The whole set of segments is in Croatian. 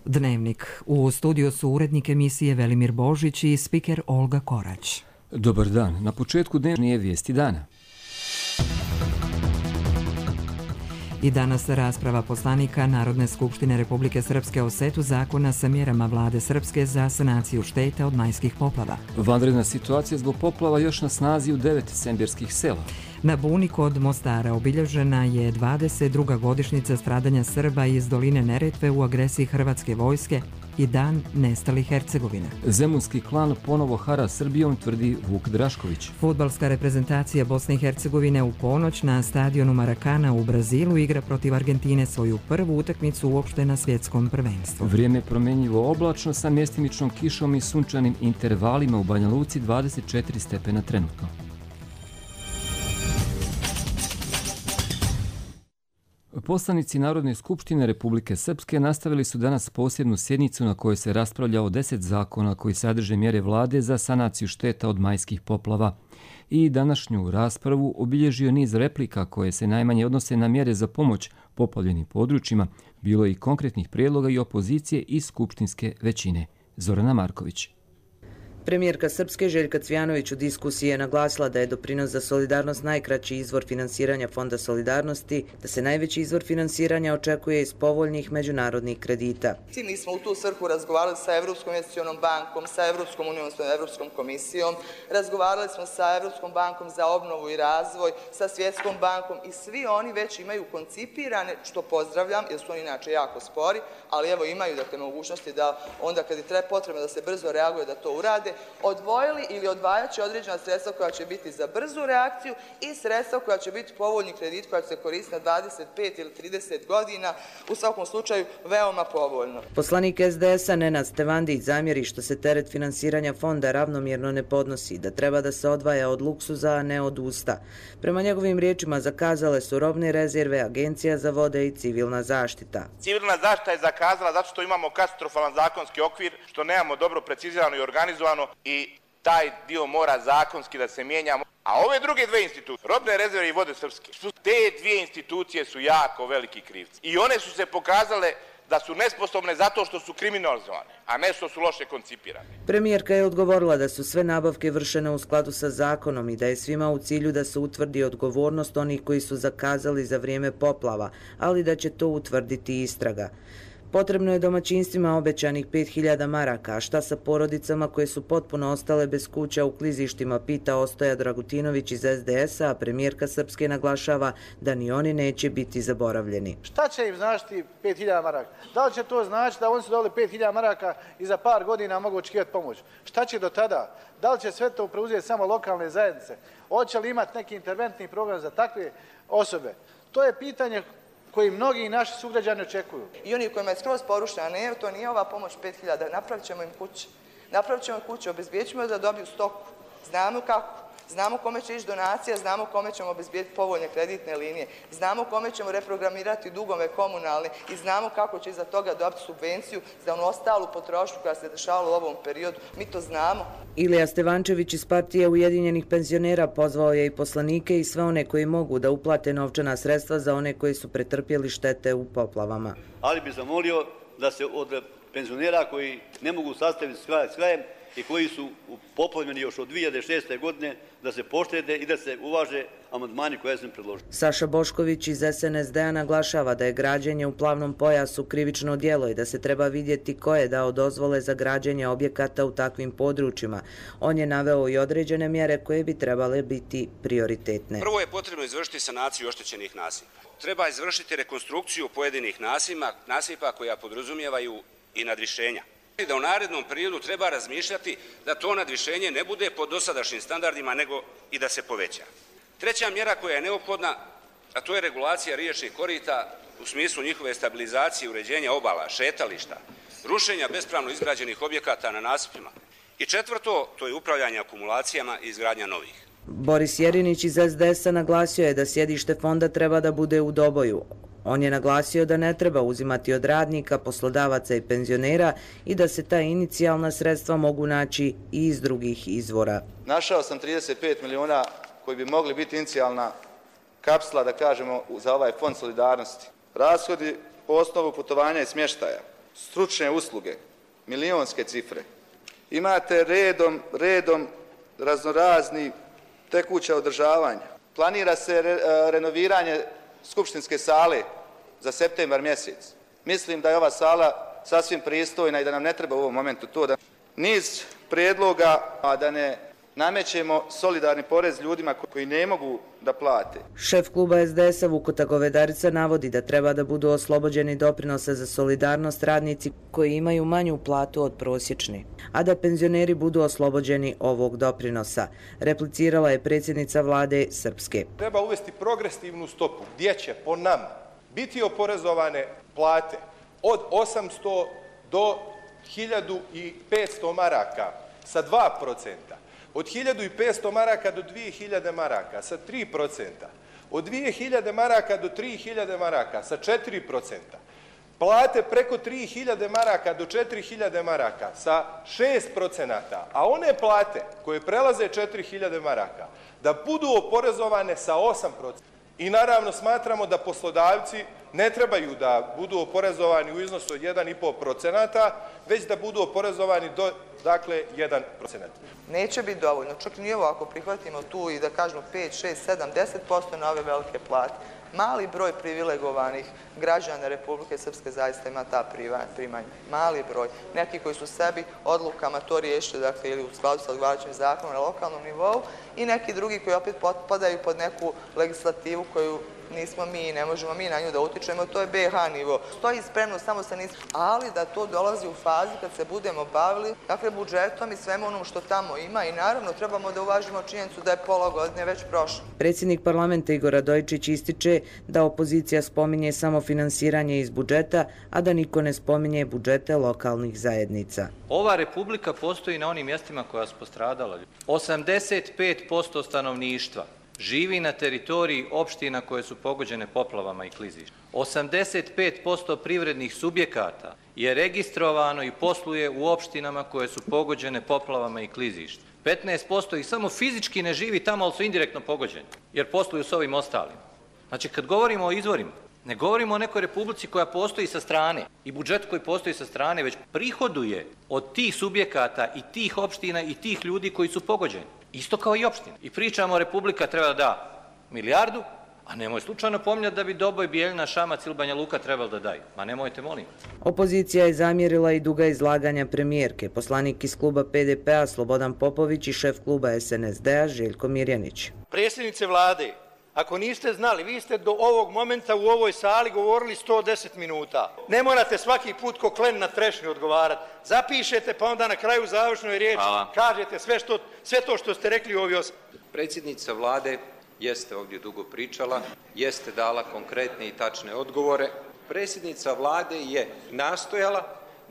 Dnevnik. U studiju su urednik emisije Velimir Božić i spiker Olga Korać. Dobar dan. Na početku dnevnije vijesti dana. I danas rasprava poslanika Narodne skupštine Republike Srpske o setu zakona sa mjerama vlade Srpske za sanaciju šteta od majskih poplava. Vanredna situacija zbog poplava još na snazi u 9 sembirskih sela. Na Buni kod Mostara obilježena je 22. godišnjica stradanja Srba iz doline Neretve u agresiji hrvatske vojske i dan nestalih Hercegovine. Zemunski klan ponovo hara Srbijom, tvrdi Vuk Drašković. Fudbalska reprezentacija Bosne i Hercegovine u ponoć na stadionu Marakana u Brazilu igra protiv Argentine svoju prvu utakmicu uopšte na svjetskom prvenstvu. Vrijeme promjenjivo oblačno sa mjestimičnom kišom i sunčanim intervalima u Banja Luci, 24 stepena trenutno. Poslanici Narodne skupštine Republike Srpske nastavili su danas posebnu sjednicu na kojoj se raspravlja o 10 zakona koji sadrže mjere vlade za sanaciju šteta od majskih poplava. I današnju raspravu obilježio niz replika koje se najmanje odnose na mjere za pomoć poplavljenim područjima, bilo je i konkretnih prijedloga i opozicije i skupštinske većine. Zorana Marković. Premijerka Srpske Željka Cvjanović u diskusiji je naglasila da je doprinos za solidarnost najkraći izvor finansiranja Fonda solidarnosti, da se najveći izvor finansiranja očekuje iz povoljnih međunarodnih kredita. Mi smo u tu svrhu razgovarali sa Evropskom investicionom bankom, sa Evropskom unijom, sa Evropskom komisijom, razgovarali smo sa Evropskom bankom za obnovu i razvoj, sa Svjetskom bankom i svi oni već imaju koncipirane, što pozdravljam, jer su oni inače jako spori, ali evo imaju mogućnosti da onda kad je potrebno da se brzo reaguje da to urade, odvojili ili odvajaći određena sredstva koja će biti za brzu reakciju i sredstva koja će biti povoljni kredit koja će se koristiti na 25 ili 30 godina, u svakom slučaju veoma povoljno. Poslanik SDS-a Nenad Stevandić zamjeri što se teret finansiranja fonda ravnomjerno ne podnosi, da treba da se odvaja od luksuza, a ne od usta. Prema njegovim riječima zakazale su robne rezerve, Agencija za vode i civilna zaštita. Civilna zaštita je zakazala zato što imamo katastrofalan zakonski okvir, što nemamo dobro precizirano i organizovano i taj dio mora zakonski da se mijenja. A ove druge dve institucije, robne rezerve i vode Srpske, te dvije institucije su jako veliki krivci. I one su se pokazale da su nesposobne zato što su kriminalizovane, a ne što su loše koncipirane. Premijerka je odgovorila da su sve nabavke vršene u skladu sa zakonom i da je svima u cilju da se utvrdi odgovornost onih koji su zakazali za vrijeme poplava, ali da će to utvrditi istraga. Potrebno je domaćinstvima obećanih 5000 maraka, a šta sa porodicama koje su potpuno ostale bez kuća u klizištima, pita Ostoja Dragutinović iz SDS-a, a premijerka Srpske naglašava da ni oni neće biti zaboravljeni. Šta će im značiti 5000 maraka? Da li će to značiti da oni su dobili 5000 maraka i za par godina mogu očekivati pomoć? Šta će do tada? Da li će sve to preuzeti samo lokalne zajednice? Hoće li imati neki interventni program za takve osobe? To je pitanje koji mnogi naši sugrađani očekuju. I oni kojima je skroz porušena, ne, to nije ova pomoć 5000, napravit ćemo im kuće. Napravit ćemo kuće, obezbijeć ćemo da dobiju stoku. Znamo kako. Znamo kome će ići donacija, znamo kome ćemo obezbijeti povoljne kreditne linije, znamo kome ćemo reprogramirati dugove komunalne i znamo kako će iza toga dobiti subvenciju za onu ostalu potrošnju koja se dešavala u ovom periodu. Mi to znamo. Ilija Stevančević iz partije Ujedinjenih penzionera pozvao je i poslanike i sve one koji mogu da uplate novčana sredstva za one koji su pretrpjeli štete u poplavama. Ali bi zamolio da se od penzionera koji ne mogu sastaviti s krajem i koji su poplavljeni još od 2006. godine, da se poštede i da se uvaže amandmani koje sam predložio. Saša Bošković iz SNSD-a naglašava da je građenje u plavnom pojasu krivično djelo i da se treba vidjeti ko je dao dozvole za građenje objekata u takvim područjima. On je naveo i određene mjere koje bi trebale biti prioritetne. Prvo je potrebno izvršiti sanaciju oštećenih nasipa. Treba izvršiti rekonstrukciju pojedinih nasipa koja podrazumijevaju i nadvišenja. Da u narednom periodu treba razmišljati da to nadvišenje ne bude po dosadašnjim standardima, nego i da se poveća. Treća mjera koja je neophodna, a to je regulacija riječnih korita u smislu njihove stabilizacije, uređenja obala, šetališta, rušenja bespravno izgrađenih objekata na nasipima. I četvrto, to je upravljanje akumulacijama i izgradnja novih. Boris Jerinić iz SDS-a naglasio je da sjedište fonda treba da bude u Doboju. On je naglasio da ne treba uzimati od radnika, poslodavaca i penzionera i da se ta inicijalna sredstva mogu naći i iz drugih izvora. Našao sam 35 miliona koji bi mogli biti inicijalna kapsula, da kažemo, za ovaj fond solidarnosti. Rashodi po osnovu putovanja i smještaja stručne usluge, milionske cifre. Imate redom raznorazni tekuća održavanja. Planira se renoviranje skupštinske sale za septembar mjesec. Mislim da je ova sala sasvim pristojna i da nam ne treba u ovom momentu to da niz prijedloga, a da ne namećemo solidarni porez ljudima koji ne mogu da plate. Šef kluba SDS-a Vukota Govedarica navodi da treba da budu oslobođeni doprinosa za solidarnost radnici koji imaju manju platu od prosječne, a da penzioneri budu oslobođeni ovog doprinosa. Replicirala je predsjednica vlade Srpske. Treba uvesti progresivnu stopu gdje će po nama biti oporezovane plate od 800 do 1500 maraka sa 2%. Od 1500 maraka do 2000 maraka sa 3%, od 2000 maraka do 3000 maraka sa 4%, plate preko 3000 maraka do 4000 maraka sa 6%, a one plate koje prelaze 4000 maraka da budu oporezovane sa 8%. I naravno smatramo da poslodavci ne trebaju da budu oporezovani u iznosu od 1,5%, već da budu oporezovani do, 1%. Neće biti dovoljno, čak ni ovo ako prihvatimo tu i da kažemo 5, 6, 7, 10% na ove velike plate. Mali broj privilegovanih građana Republike Srpske zaista ima ta primanja. Mali broj. Neki koji su sebi odlukama to riješili, ili u skladu sa odgovarajućim zakonom na lokalnom nivou, i neki drugi koji opet potpadaju pod neku legislativu koju nismo mi i ne možemo mi na nju da utičemo, to je BiH nivo. Stoji spremno, samo se nismo, ali da to dolazi u fazi kad se budemo bavili, budžetom i svemu onom što tamo ima i naravno trebamo da uvažimo činjenicu da je pola godine već prošlo. Predsjednik parlamenta Igor Radojičić ističe da opozicija spominje samo finansiranje iz budžeta, a da niko ne spominje budžete lokalnih zajednica. Ova republika postoji na onim mjestima koja su postradala. 85% stanovništva živi na teritoriji opština koje su pogođene poplavama i klizištima. 85% privrednih subjekata je registrovano i posluje u opštinama koje su pogođene poplavama i klizištima. 15% ih samo fizički ne živi tamo, ali su indirektno pogođeni, jer posluju s ovim ostalim. Znači, kad govorimo o izvorima, ne govorimo o nekoj republici koja postoji sa strane i budžet koji postoji sa strane, već prihoduje od tih subjekata i tih opština i tih ljudi koji su pogođeni. Isto kao i opština. I pričamo, republika treba da da milijardu, a nemoj slučajno pominjati da bi Doboj, Bijeljina, Šamac ili Banja Luka trebalo da daju. Ma nemojte, molim. Opozicija je zamjerila i duga izlaganja premijerke. Poslanik iz kluba PDP-a Slobodan Popović i šef kluba SNSD-a Željko Mirjanić. Predsjednice vlade, ako niste znali, vi ste do ovog momenta u ovoj sali govorili 110 minuta. Ne morate svaki put ko klen na trešnju odgovarati. Zapišete pa onda na kraju završnoj riječi kažete sve to što ste rekli u ovoj osam. Predsjednica vlade jeste ovdje dugo pričala, jeste dala konkretne i tačne odgovore. Predsjednica vlade je nastojala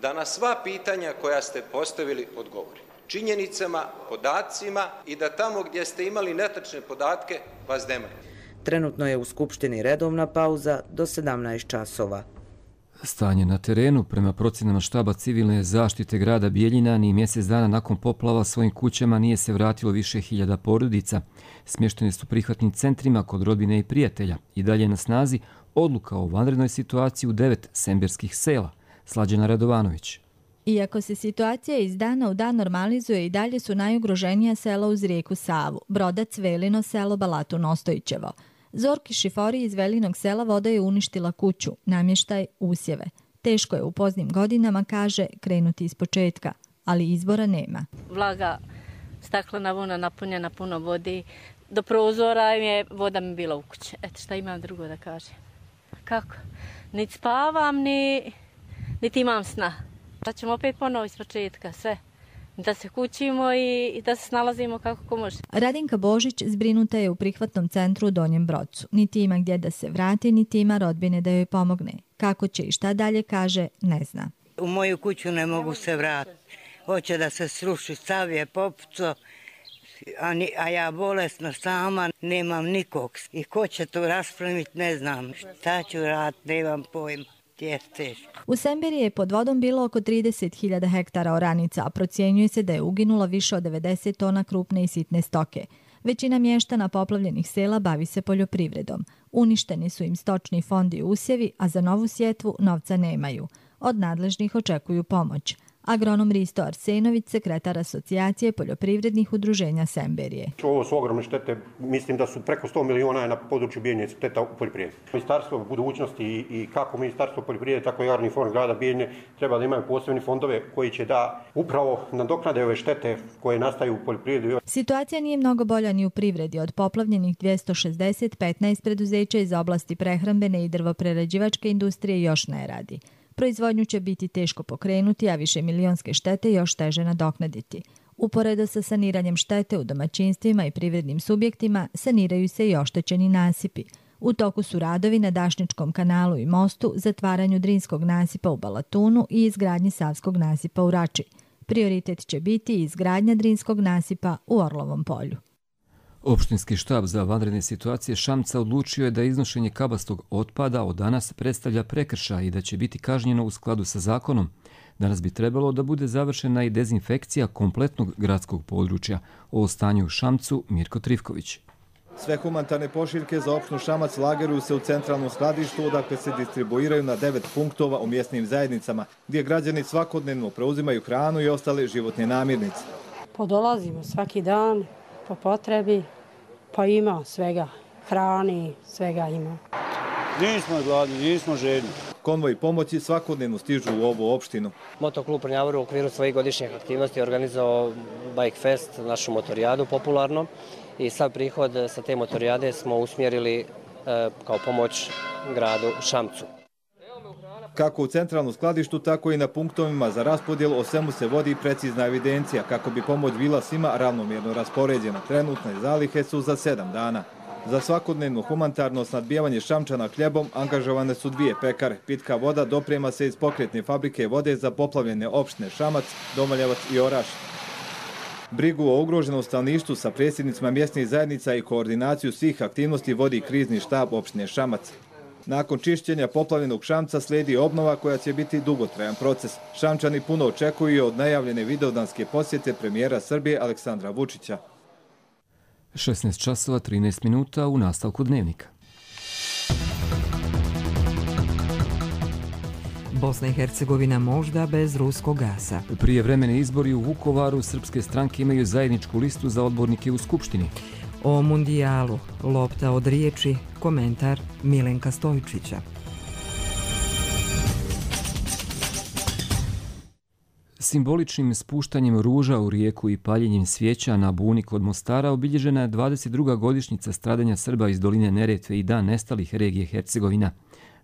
da na sva pitanja koja ste postavili odgovori. Činjenicama, podacima i da tamo gdje ste imali netačne podatke vas demaju. Trenutno je u Skupštini redovna pauza do 17 časova. Stanje na terenu, prema procjenama štaba civilne zaštite grada Bijeljina, ni mjesec dana nakon poplava svojim kućama nije se vratilo više hiljada porodica. Smještene su prihvatnim centrima kod rodbine i prijatelja. I dalje na snazi odluka o vanrednoj situaciji u 9 semberskih sela. Slađana Radovanović. Iako se situacija iz dana u dan normalizuje, i dalje su najugroženija sela uz rijeku Savu, Brodac, Velino, selo Balatu Nostojićevo. Zorki Šifori iz Velinog sela voda je uništila kuću, namještaj, usjeve. Teško je u poznim godinama, kaže, krenuti iz početka, ali izbora nema. Vlaga, staklena vuna napunjena puno vodi, do prozora je voda mi bila u kući. Eto šta imam drugo da kažem. Kako? Niti spavam, niti imam sna. Da ćemo opet ponovo iz početka, sve. Da se kućimo i da se snalazimo kako ko može. Radinka Božić zbrinuta je u prihvatnom centru u Donjem Brodcu. Niti ima gdje da se vrati, niti ima rodbine da joj pomogne. Kako će i šta dalje, kaže, ne zna. U moju kuću ne mogu se vratiti. Hoće da se sruši, stav je popuco, a ja bolesna sama, nemam nikog. I ko će to raspremiti, ne znam. Šta ću raditi, nemam pojma. U Semberi je pod vodom bilo oko 30.000 hektara oranica, a procjenjuje se da je uginulo više od 90 tona krupne i sitne stoke. Većina mještana poplavljenih sela bavi se poljoprivredom. Uništeni su im stočni fond i usjevi, a za novu sjetvu novca nemaju. Od nadležnih očekuju pomoć. Agronom Risto Arsenović, sekretar Asocijacije poljoprivrednih udruženja Semberije. Ovo su ogromne štete, mislim da su preko 100 miliona na području Bijeljine šteta u poljoprivredi. Ministarstvo budućnosti i kako Ministarstvo poljoprivrede, tako i Agrarni fond grada Bijeljine treba da imaju posebne fondove koji će da upravo nadoknade ove štete koje nastaju u poljoprivredi. Situacija nije mnogo bolja ni u privredi. Od poplavljenih 260, 15 preduzeća iz oblasti prehrambene i drvoprerađivačke industrije još ne radi. Proizvodnju će biti teško pokrenuti, a višemilionske štete još teže nadoknaditi. Uporedo sa saniranjem štete u domaćinstvima i privrednim subjektima, saniraju se i oštećeni nasipi. U toku su radovi na Dašničkom kanalu i mostu, zatvaranju Drinskog nasipa u Balatunu i izgradnji Savskog nasipa u Rači. Prioritet će biti izgradnja Drinskog nasipa u Orlovom polju. Opštinski štab za vanredne situacije Šamca odlučio je da iznošenje kabastog otpada od danas predstavlja prekršaj i da će biti kažnjeno u skladu sa zakonom. Danas bi trebalo da bude završena i dezinfekcija kompletnog gradskog područja. O stanju u Šamcu Mirko Trivković. Sve humanitarne pošiljke za opštinu Šamac lageruju se u centralnom skladištu, odakle se distribuiraju na 9 punktova u mjesnim zajednicama, gdje građani svakodnevno preuzimaju hranu i ostale životne namirnice. Podolazimo svaki dan po potrebi, pa ima svega, hrani, svega ima. Nismo gladni, nismo željni. Konvoj pomoći svakodnevno stižu u ovu opštinu. Motoklub Prnjavor u okviru svojih godišnjih aktivnosti je organizovao Bike Fest, našu motorijadu popularno, i sav prihod sa te motorijade smo usmjerili kao pomoć gradu Šamcu. Kako u centralnom skladištu, tako i na punktovima za raspodjelu o svemu se vodi precizna evidencija kako bi pomoć bila svima ravnomjerno raspoređena. Trenutne zalihe su za 7 dana. Za svakodnevno humanitarno snadbijevanje Šamčana hljebom angažovane su 2 pekare. Pitka voda doprema se iz pokretne fabrike vode za poplavljene opštine Šamac, Domaljevac i Oraš. Brigu o ugroženom stanovništvu sa predsjednicima mjesnih zajednica i koordinaciju svih aktivnosti vodi krizni štab opštine Šamac. Nakon čišćenja poplavljenog Šamca slijedi obnova koja će biti dugotrajan proces. Šamčani puno očekuju od najavljene videodanske posjete premijera Srbije Aleksandra Vučića. 16 časova 13 minuta u nastavku dnevnika. Bosna i Hercegovina možda bez ruskog gasa. Prijevremeni izbori u Vukovaru srpske stranke imaju zajedničku listu za odbornike u Skupštini. O mundijalu, lopta od riječi, komentar Milenka Stojčića. Simboličnim spuštanjem ruža u rijeku i paljenjem svijeća na buni kod Mostara obilježena je 22. godišnjica stradanja Srba iz doline Neretve i dan nestalih regije Hercegovina.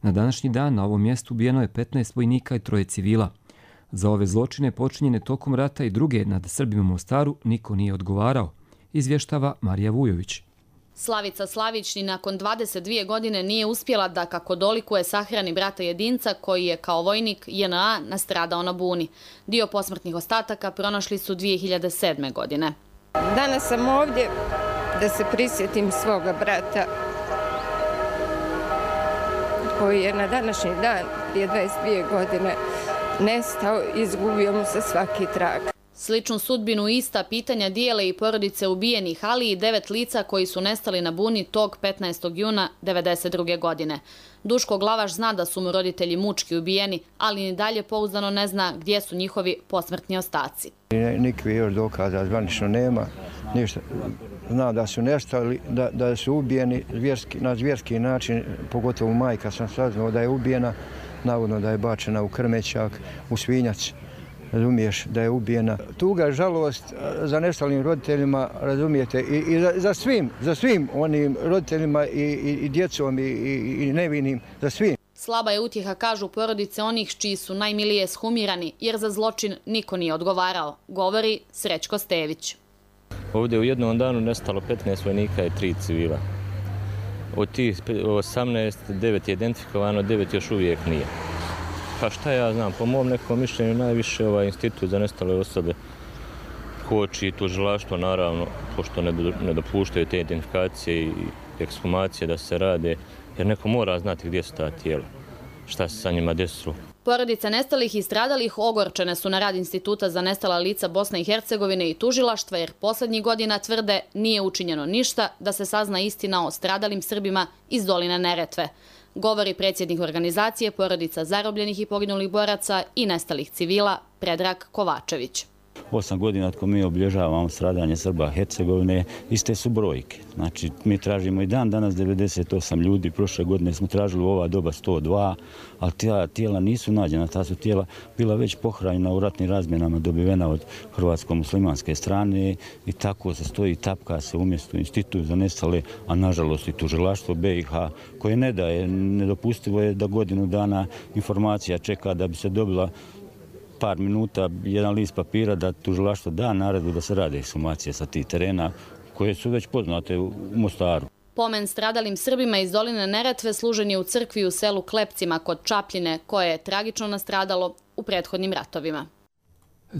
Na današnji dan na ovom mjestu ubijeno je 15 vojnika i 3 civila. Za ove zločine počinjene tokom rata i druge nad Srbima u Mostaru niko nije odgovarao, izvještava Marija Vujović. Slavica Slavić ni nakon 22 godine nije uspjela da kako dolikuje sahrani brata jedinca koji je kao vojnik JNA nastradao na buni. Dio posmrtnih ostataka pronašli su 2007. godine. Danas sam ovdje da se prisjetim svoga brata koji je na današnji dan prije 22 godine nestao i izgubio mu se svaki trag. Sličnu sudbinu i ista pitanja dijele i porodice ubijenih, ali i 9 lica koji su nestali na buni tog 15. juna 1992. godine. Duško Glavaš zna da su mu roditelji mučki ubijeni, ali ni dalje pouzdano ne zna gdje su njihovi posmrtni ostaci. Nikakvih još dokaza zvanično nema, ništa. Zna da su nestali, da su ubijeni na zvjerski način, pogotovo majka sam saznao da je ubijena, navodno da je bačena u krmećak, u svinjac. Razumiješ da je ubijena. Tuga, žalost za nestalim roditeljima, razumijete, i za svim onim roditeljima i djecom i nevinim, za svim. Slaba je utjeha, kažu porodice onih čiji su najmilije shamirani, jer za zločin niko nije odgovarao, govori Srećko Stević. Ovdje u jednom danu nestalo 15 vojnika i 3 civila. Od tih 18, 9 je identifikovano, 9 još uvijek nije. Pa šta ja znam, po mom nekom mišljenju najviše ovaj institut za nestale osobe koči tužilaštvo, naravno, pošto ne dopuštaju te identifikacije i ekshumacije da se rade, jer neko mora znati gdje su ta tijela, šta se sa njima desilo. Porodice nestalih i stradalih ogorčene su na rad Instituta za nestala lica Bosne i Hercegovine i tužilaštva, jer posljednjih godina tvrde nije učinjeno ništa da se sazna istina o stradalim Srbima iz doline Neretve. govori predsjednik organizacije porodica zarobljenih i poginulih boraca i nestalih civila Predrag Kovačević. 8 godina od ko mi obilježavamo stradanje Srba Hercegovine, iste su brojke. Znači, mi tražimo i dan danas 98 ljudi, prošle godine smo tražili u ova doba 102, ali tijela nisu nađena, ta su tijela bila već pohranjena u ratnim razmjenama, dobivena od hrvatsko-muslimanske strane i tako se stoji, tapka se umjesto institut za nestale, a nažalost i tužilaštvo BiH koje ne daje, nedopustivo je da godinu dana informacija čeka da bi se dobila par minuta, jedan list papira da tužilaštvo da naredbu da se rade ekshumacije sa tih terena koje su već poznate u Mostaru. Pomen stradalim Srbima iz doline Neretve služen je u crkvi u selu Klepcima kod Čapljine, koje je tragično nastradalo u prethodnim ratovima.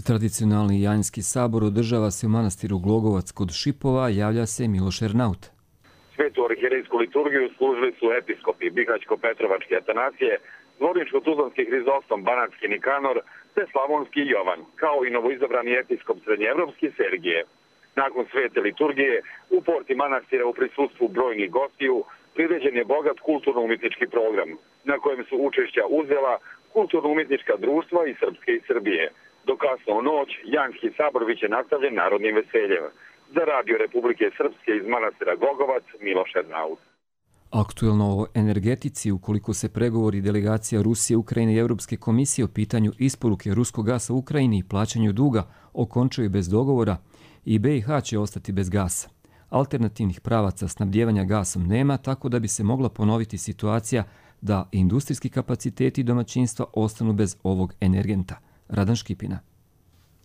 Tradicionalni Janjski sabor održava se u manastiru Glogovac kod Šipova, javlja se Miloš Ernaut. Svetu arhijerejsku liturgiju služili su episkopi Bihaćko-Petrovačke Atanasije, Zvorničko-Tuzlanski Hrizostom Banatski Nikanor te Slavonski Jovan, kao i novoizabrani episkop Srednjeevropski Sergije. Nakon svete liturgije, u porti manastira u prisustvu brojnih gostiju priređen je bogat kulturno-umjetnički program, na kojem su učešća uzela kulturno-umjetnička društva i Srpske i Srbije. Do kasno u noć, Janjski sabor biće nastavljen narodnim veseljem. Za Radio Republike Srpske iz manastira Glogovac, Miloš Ernaut. Aktuelno o energetici, ukoliko se pregovori delegacija Rusije, Ukrajine i Europske komisije o pitanju isporuke ruskog gasa u Ukrajini i plaćanju duga okončaju bez dogovora, i BiH će ostati bez gasa. Alternativnih pravaca snabdijevanja gasom nema, tako da bi se mogla ponoviti situacija da industrijski kapaciteti domaćinstva ostanu bez ovog energenta. Radan Škipina.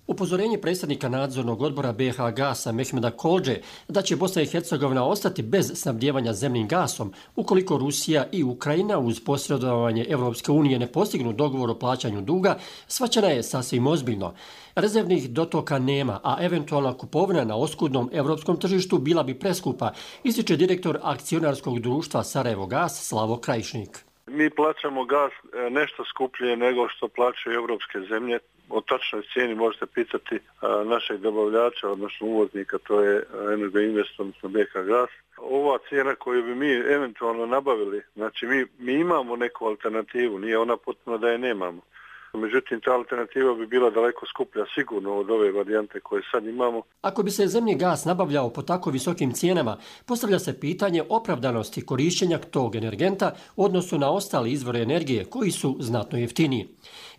Upozorenje predsjednika nadzornog odbora BiH Gasa Mehmeda Kolđe da će Bosna i Hercegovina ostati bez snabdijevanja zemnim gasom ukoliko Rusija i Ukrajina uz posredovanje Evropske unije ne postignu dogovor o plaćanju duga, shvaćena je sasvim ozbiljno. Rezervnih dotoka nema, a eventualna kupovina na oskudnom evropskom tržištu bila bi preskupa, ističe direktor akcionarskog društva Sarajevo Gas Slavo Krajišnik. Mi plaćamo gas nešto skuplje nego što plaćaju evropske zemlje. O tačnoj cijeni možete pitati našeg dobavljača, odnosno uvoznika, to je Energoinvest, odnosno BiH Gas. Ova cijena koju bi mi eventualno nabavili, znači mi imamo neku alternativu, nije ona potpuno da je nemamo. Međutim, ta alternativa bi bila daleko skuplja sigurno od ove varijante koje sad imamo. Ako bi se zemni gas nabavljao po tako visokim cijenama, postavlja se pitanje opravdanosti korišćenja tog energenta u odnosu na ostale izvore energije koji su znatno jeftiniji.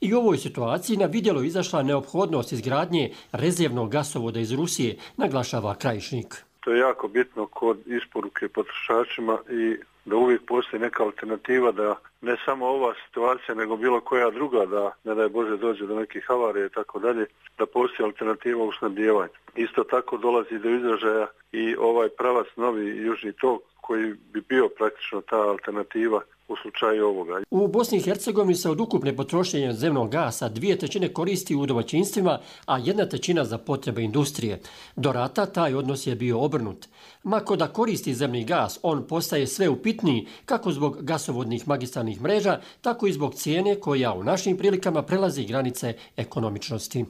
I u ovoj situaciji na vidjelo izašla neophodnost izgradnje rezervnog gasovoda iz Rusije, naglašava Krajišnik. To je jako bitno kod isporuke potrošačima i da uvijek postoji neka alternativa, da ne samo ova situacija, nego bilo koja druga, da ne daj Bože dođe do nekih havarija i tako dalje, da postoji alternativa u snabdijevanju. Isto tako dolazi do izražaja i ovaj pravac novi južni tok koji bi bio praktično ta alternativa u slučaju ovoga. U Bosni i Hercegovini se od ukupne potrošnje zemnog gasa 2/3 koristi u domaćinstvima, a 1/3 za potrebe industrije. Do rata taj odnos je bio obrnut. Mako da koristi zemni gas, on postaje sve upitniji kako zbog gasovodnih magistralnih mreža, tako i zbog cijene koja u našim prilikama prelazi granice ekonomičnosti.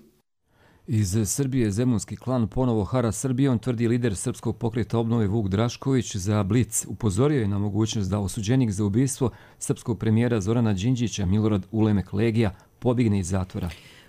Iz Srbije Zemunski klan ponovo hara Srbijom, tvrdi lider Srpskog pokreta obnove Vuk Drašković za Blic. Upozorio je na mogućnost da osuđenik za ubistvo srpskog premijera Zorana Đinđića Milorad Ulemek Legija pobjegne iz zatvora.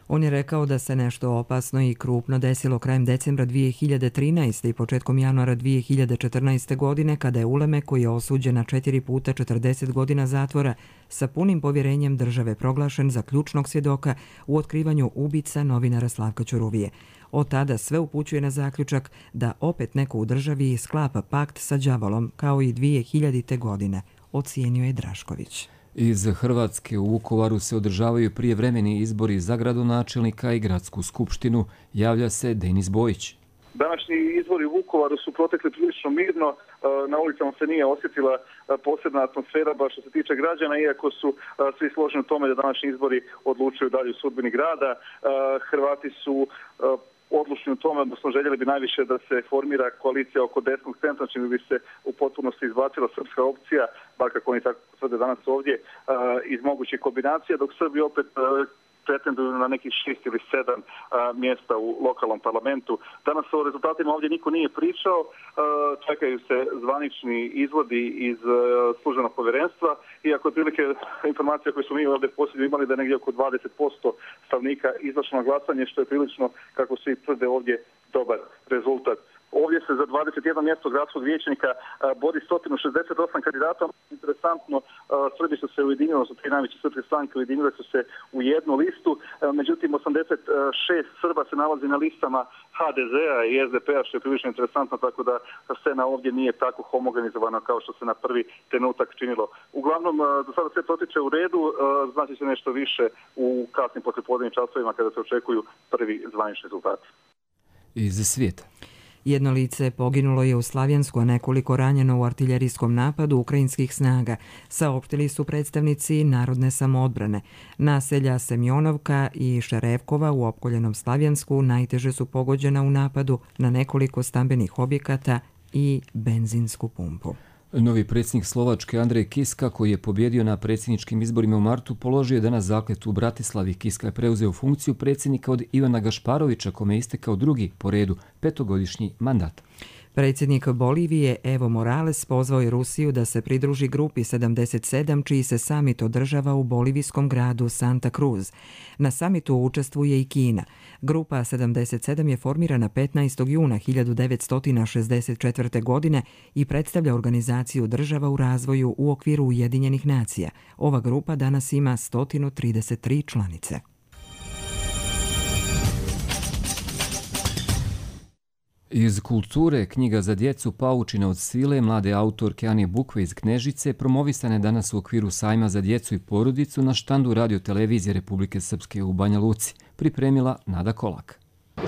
On je rekao da se nešto opasno i krupno desilo krajem decembra 2013. i početkom januara 2014. godine, kada je Ulemek, koji je osuđen na 4 puta 40 godina zatvora, sa punim povjerenjem države proglašen za ključnog svjedoka u otkrivanju ubica novinara Slavka Ćuruvije. Od tada sve upućuje na zaključak da opet neko u državi sklapa pakt sa đavolom, kao i 2000. godine, ocijenio je Drašković. Iz Hrvatske u Vukovaru se održavaju prijevremeni izbori za gradonačelnika i gradsku skupštinu, javlja se Denis Bojić. Današnji izbori u Vukovaru su protekli prilično mirno, na ulicama se nije osjetila posebna atmosfera baš što se tiče građana, iako su svi složeni u tome da današnji izbori odlučuju dalje u sudbini grada. Hrvati su odlučni u tome, odnosno željeli bi najviše da se formira koalicija oko desnog centra, čime bi se u potpunosti izbacila srpska opcija, bar kako oni tako tvrde danas ovdje, iz mogućih kombinacija, dok Srbi opet pretenduju na nekih 6 ili 7 mjesta u lokalnom parlamentu. Danas o rezultatima ovdje niko nije pričao, čekaju se zvanični izvodi iz službenog povjerenstva, iako otprilike informacija koju smo mi ovdje posljednju imali da je negdje oko 20% stanovnika izašlo na glasanje, što je prilično, kako svi tvrde ovdje, dobar rezultat. Ovdje se za 21 mjesto gradskog vijećnika bori 168 kandidata. Interesantno, Srbi su se ujedinili, su tri najveće srpske stranke, ujedinile su se u jednu listu. Međutim, 86 Srba se nalazi na listama HDZ-a i SDP-a, što je prilično interesantno, tako da scena ovdje nije tako homogenizovana kao što se na prvi trenutak činilo. Uglavnom, do sada sve protiče u redu, znači se nešto više u kasnim poslijepodnevnim časovima kada se očekuju prvi zvanični rezultati. Iz svijeta. Jedno lice poginulo je u Slavjansku, a nekoliko ranjeno u artiljerijskom napadu ukrajinskih snaga, saopštili su predstavnici Narodne samoodbrane. Naselja Semjonovka i Šerevkova u opkoljenom Slavjansku najteže su pogođena u napadu na nekoliko stambenih objekata i benzinsku pumpu. Novi predsjednik Slovačke Andrej Kiska, koji je pobjedio na predsjedničkim izborima u martu, položio je danas zakletvu u Bratislavi. Kiska je preuzeo funkciju predsjednika od Ivana Gašparovića, kome je istekao drugi po redu 5-godišnji mandat. Predsjednik Bolivije Evo Morales pozvao je Rusiju da se pridruži grupi 77, čiji se samit održava u bolivijskom gradu Santa Cruz. Na samitu učestvuje i Kina. Grupa 77 je formirana 15. juna 1964. godine i predstavlja organizaciju država u razvoju u okviru Ujedinjenih nacija. Ova grupa danas ima 133 članice. Iz kulture, knjiga za djecu Paučina od sile mlade autorke Ane Bukve iz Knežice promovisane danas u okviru sajma za djecu i porodicu na štandu Radio-televizije Republike Srpske u Banja Luci, pripremila Nada Kolak.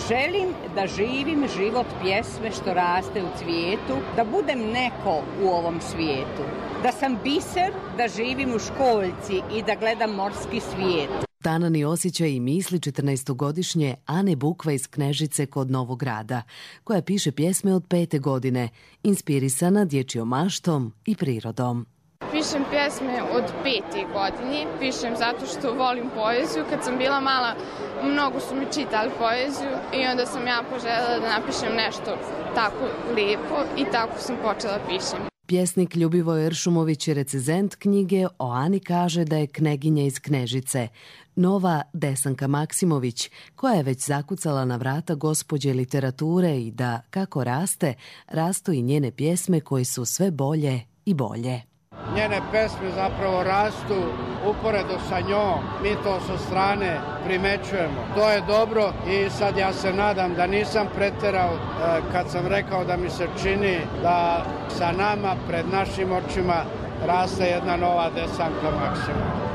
Želim da živim život pjesme što raste u cvijetu, da budem neko u ovom svijetu, da sam biser, da živim u školjci i da gledam morski svijet. Tanani osjećaj i misli 14-godišnje Ane Bukva iz Knežice kod Novog Grada, koja piše pjesme od 5. godine, inspirisana dječjom maštom i prirodom. Pišem pjesme od 5. godine, pišem zato što volim poeziju. Kad sam bila mala, mnogo su mi čitali poeziju i onda sam ja poželjela da napišem nešto tako lijepo i tako sam počela pišem. Pjesnik Ljubivoj Eršumović, recenzent knjige, o Ani kaže da je kneginja iz Knežice. Nova Desanka Maksimović, koja je već zakucala na vrata gospođe literature i da, kako raste, rastu i njene pjesme koje su sve bolje i bolje. Njene pesme zapravo rastu uporedo sa njom, mi to sa strane primećujemo. To je dobro i sad ja se nadam da nisam preterao kad sam rekao da mi se čini da sa nama, pred našim očima, raste jedna nova Desanka Maksimović.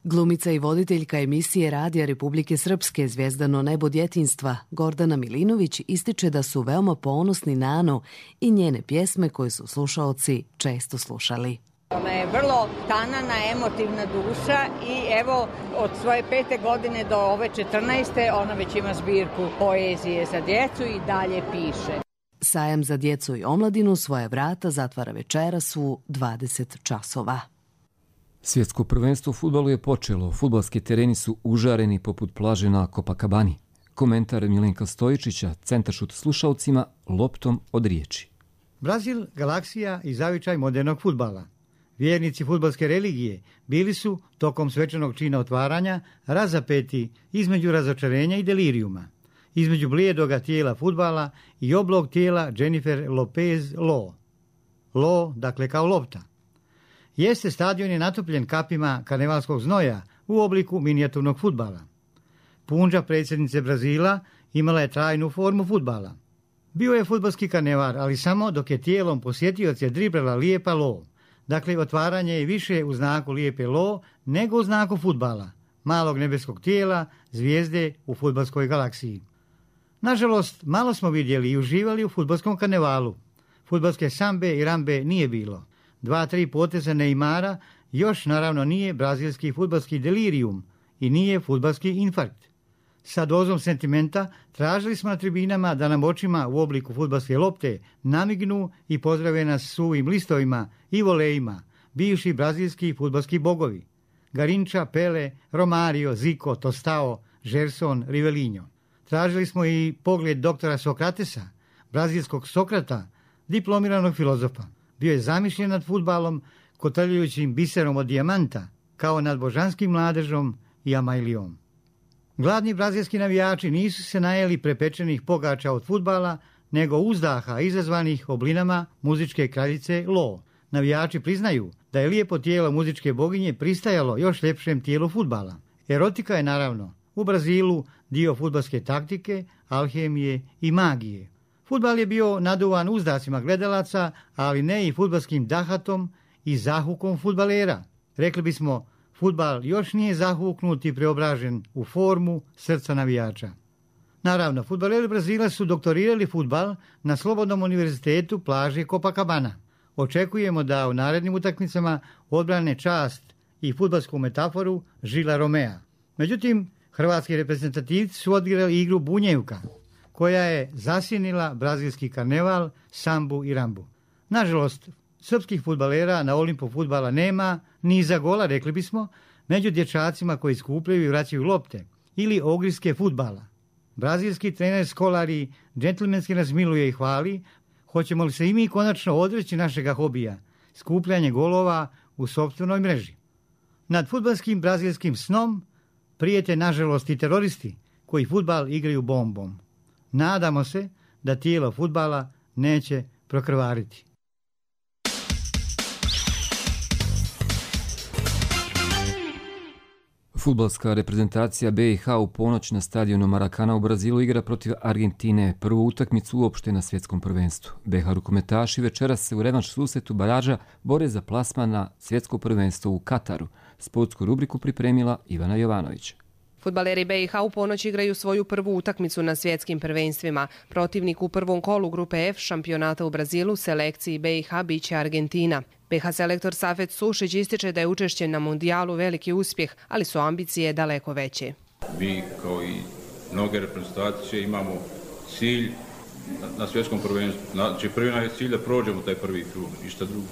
Glumica i voditeljka emisije Radija Republike Srpske Zvijezdano nebo djetinjstva Gordana Milinović ističe da su veoma ponosni na Anu i njene pjesme koje su slušaoci često slušali. Ona je vrlo tanana, emotivna duša i evo od svoje 5. godine do ove 14. ona već ima zbirku poezije za djecu i dalje piše. Sajam za djecu i omladinu svoje vrata zatvara večeras u 20 časova. Svjetsko prvenstvo u fudbalu je počelo. Fudbalski tereni su užareni poput plaže na Copacabani. Komentar Milenka Stojičića, centaršut slušalcima, loptom od riječi. Brazil, galaksija i zavičaj modernog fudbala. Vjernici fudbalske religije bili su, tokom svečanog čina otvaranja, razapeti između razočarenja i delirijuma, između blijedoga tijela fudbala i oblog tijela Jennifer Lopez Law. Law, dakle kao lopta. Jeste stadion je natopljen kapima karnevalskog znoja u obliku minijaturnog fudbala. Punđa predsjednice Brazila imala je trajnu formu fudbala. Bio je fudbalski karneval, ali samo dok je tijelom posjetioca driblala lijepa Law. Dakle, otvaranje je više u znaku lijepe Law nego u znaku fudbala, malog nebeskog tijela, zvijezde u fudbalskoj galaksiji. Nažalost, malo smo vidjeli i uživali u fudbalskom karnevalu. Fudbalske sambe i rambe nije bilo. 2-3 poteza Neymara još naravno nije brazilski fudbalski delirium i nije fudbalski infarkt. Sa dozom sentimenta tražili smo na tribinama da nam očima u obliku fudbalske lopte namignu i pozdrave nas suvim listovima i volejima, bivši brazilski fudbalski bogovi. Garinča, Pele, Romario, Zico, Tostao, Gerson, Rivelinho. Tražili smo i pogled doktora Sokratesa, brazilskog Sokrata, diplomiranog filozofa. Bio je zamišljen nad fudbalom, kotrljajućim biserom od dijamanta, kao nad božanskim mladežom i Amajlijom. Gladni brazilski navijači nisu se najeli prepečenih pogača od fudbala, nego uzdaha izazvanih oblinama muzičke kraljice Lo. Navijači priznaju da je lijepo tijelo muzičke boginje pristajalo još ljepšem tijelu fudbala. Erotika je naravno u Brazilu dio fudbalske taktike, alhemije i magije. Fudbal je bio naduvan uzdacima gledalaca, ali ne i fudbalskim dahatom i zahukom fudbalera. Rekli bismo, fudbal još nije zahuknut i preobražen u formu srca navijača. Naravno, fudbaleri Brazila su doktorirali fudbal na Slobodnom univerzitetu plaže Copacabana. Očekujemo da u narednim utakmicama odbrane čast i fudbalsku metaforu Žila Romea. Međutim, hrvatski reprezentativci su odigrali igru bunjevka, koja je zasjenila brazilski karneval, sambu i rambu. Nažalost, srpskih fudbalera na Olimpu fudbala nema, ni za gola, rekli bismo, među dječacima koji skupljaju i vraćaju lopte, ili ogriske fudbala. Brazilski trener Scolari džentlmenski nas miluje i hvali, hoćemo li se i mi konačno odreći našega hobija, skupljanje golova u sopstvenoj mreži. Nad fudbalskim brazilskim snom prijete nažalost i teroristi koji fudbal igraju bombom. Nadamo se da tijelo fudbala neće prokrvariti. Fudbalska reprezentacija BiH u ponoć na stadionu Marakana u Brazilu igra protiv Argentine, prvu utakmicu uopšte na svjetskom prvenstvu. BiH rukometaši večeras se u revanš susretu baraža bore za plasman na svjetsko prvenstvo u Kataru. Sportsku rubriku pripremila Ivana Jovanović. Fudbaleri BiH u ponoć igraju svoju prvu utakmicu na svjetskim prvenstvima. Protivnik u prvom kolu grupe F šampionata u Brazilu selekciji BiH biće Argentina. BiH selektor Safet Sušić ističe da je učešće na mundijalu veliki uspjeh, ali su ambicije daleko veće. Mi kao i mnoge reprezentacije imamo cilj na svjetskom prvenstvu. Znači prvi je cilj da prođemo taj prvi krug, ništa drugo.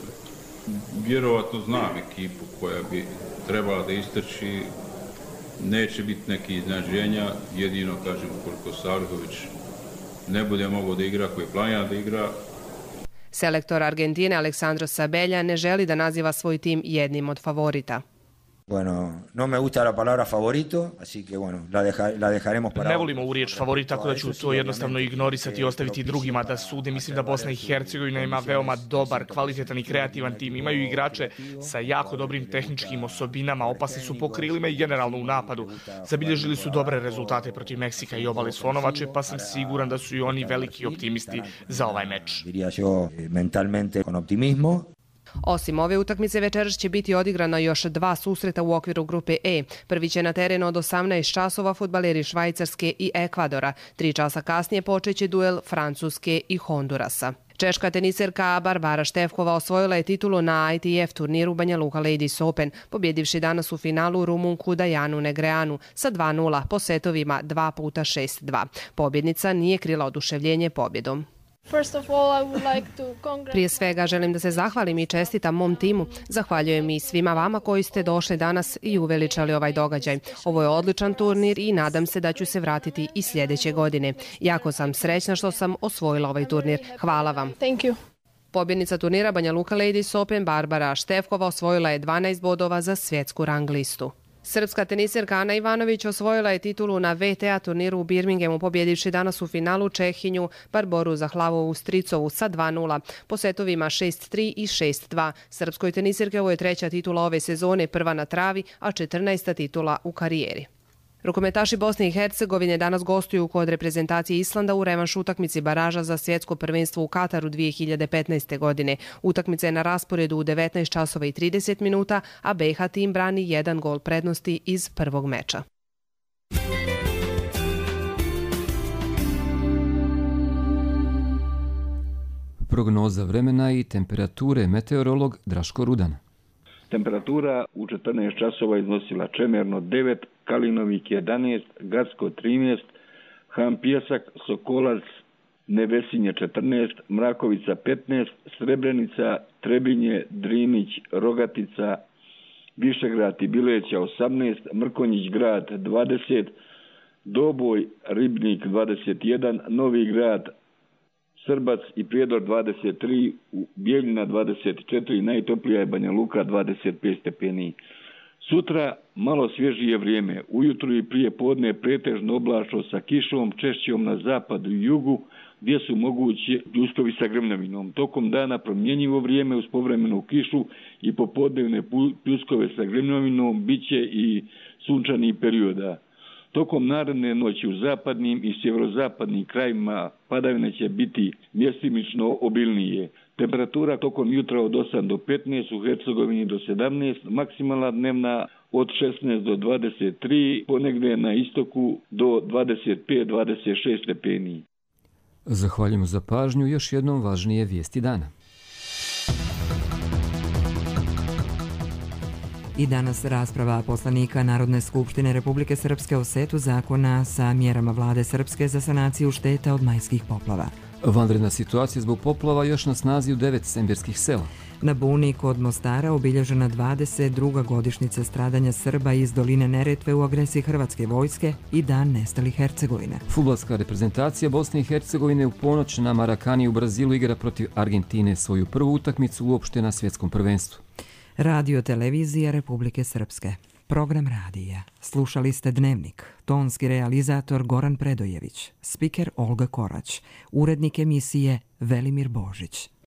Vjerovatno znam ekipu koja bi trebala da istrči. Neće biti neki iznenađenja, jedino, kažem, ukoliko Savljević ne bude mogao da igra, koji planira da igra. Selektor Argentine Alexandro Sabella ne želi da naziva svoj tim jednim od favorita. Bueno, no me gusta la palabra favorito, así que bueno, la dejaremos para... Ne volimo ovu riječ favorit, tako da ću to jednostavno ignorisati i ostaviti drugima da sude. Mislim da Bosna i Hercegovina ima veoma dobar, kvalitetan i kreativan tim. Imaju igrače sa jako dobrim tehničkim osobinama, opasni su po krilima i generalno u napadu. Zabilježili su dobre rezultate protiv Meksika i Obale Slonovače, pa sam siguran da su i oni veliki optimisti za ovaj meč. Diría yo mentalmente con optimismo. Osim ove utakmice večeras će biti odigrano još 2 susreta u okviru grupe E. Prvi će na terenu od 18 časova fudbaleri Švajcarske i Ekvadora. 3 časa kasnije počeće duel Francuske i Hondurasa. Češka teniserka Barbara Štefkova osvojila je titulu na ITF turniru Banja Luka Ladies Open, pobjedivši danas u finalu Rumunku Dajanu Negreanu sa 2:0 po setovima 2x6-2. Pobjednica nije krila oduševljenje pobjedom. Prije svega želim da se zahvalim i čestitam mom timu. Zahvaljujem i svima vama koji ste došli danas i uveličali ovaj događaj. Ovo je odličan turnir i nadam se da ću se vratiti i sljedeće godine. Jako sam srećna što sam osvojila ovaj turnir. Hvala vam. Pobjednica turnira Banja Luka Ladies Open Barbara Štefkova osvojila je 12 bodova za svjetsku rang listu. Srpska teniserka Ana Ivanović osvojila je titulu na VTA turniru u Birminghamu, pobjedivši danas u finalu Čehinju Barboru Zahlavovu Stricovu sa 2:0 po setovima 6-3 i 6-2. Srpskoj teniserke ovo je 3. titula ove sezone, prva na travi, a 14. titula u karijeri. Rukometaši Bosne i Hercegovine danas gostuju kod reprezentacije Islanda u revanš utakmici baraža za svjetsko prvenstvo u Kataru 2015. godine. Utakmica je na rasporedu u 19 časova i 30 minuta, a BiH tim brani 1 gol prednosti iz prvog meča. Prognoza vremena i temperature, meteorolog Draško Rudan. Temperatura u 14 časova iznosila Čemerno 9, Kalinovik 11, Gacko 13, Han Pjesak, Sokolac, Nevesinje 14, Mrakovica 15, Srebrenica, Trebinje, Drinić, Rogatica Višegrad i Bileća 18, Mrkonjić grad 20, Doboj, Ribnik 21, Novi grad, Srbac i Prijedor 23, Bijeljina 24, najtoplija je Banja Luka 25 stepeni. Sutra malo svježije vrijeme, ujutru i prije podne pretežno oblačno sa kišom, češćom na zapadu i jugu, gdje su mogući uslovi sa grmljavinom. Tokom dana promjenjivo vrijeme uz povremenu kišu i popodnevne pljuskove sa grmljavinom, bit će i sunčanih perioda. Tokom naredne noći u zapadnim i sjeverozapadnim krajima padavine će biti mjestimično obilnije. Temperatura tokom jutra od 8 do 15, u Hercegovini do 17, maksimalna dnevna od 16 do 23, ponegdje na istoku do 25-26 stepeni. Zahvaljujemo za pažnju, još jednom važnije vijesti dana. I danas rasprava poslanika Narodne skupštine Republike Srpske o setu zakona sa mjerama vlade Srpske za sanaciju šteta od majskih poplava. Vanredna situacija zbog poplava još na snazi u 9 semberskih sela. Na Buni kod Mostara obilježena 22. godišnjica stradanja Srba iz doline Neretve u agresiji Hrvatske vojske i dan nestalih Hercegovine. Fudbalska reprezentacija Bosne i Hercegovine u ponoć na Marakani u Brazilu igra protiv Argentine svoju prvu utakmicu uopšte na svjetskom prvenstvu. Radio televizija Republike Srpske. Program radija. Slušali ste Dnevnik. Tonski realizator Goran Predojević. Spiker Olga Korać. Urednik emisije Velimir Božić.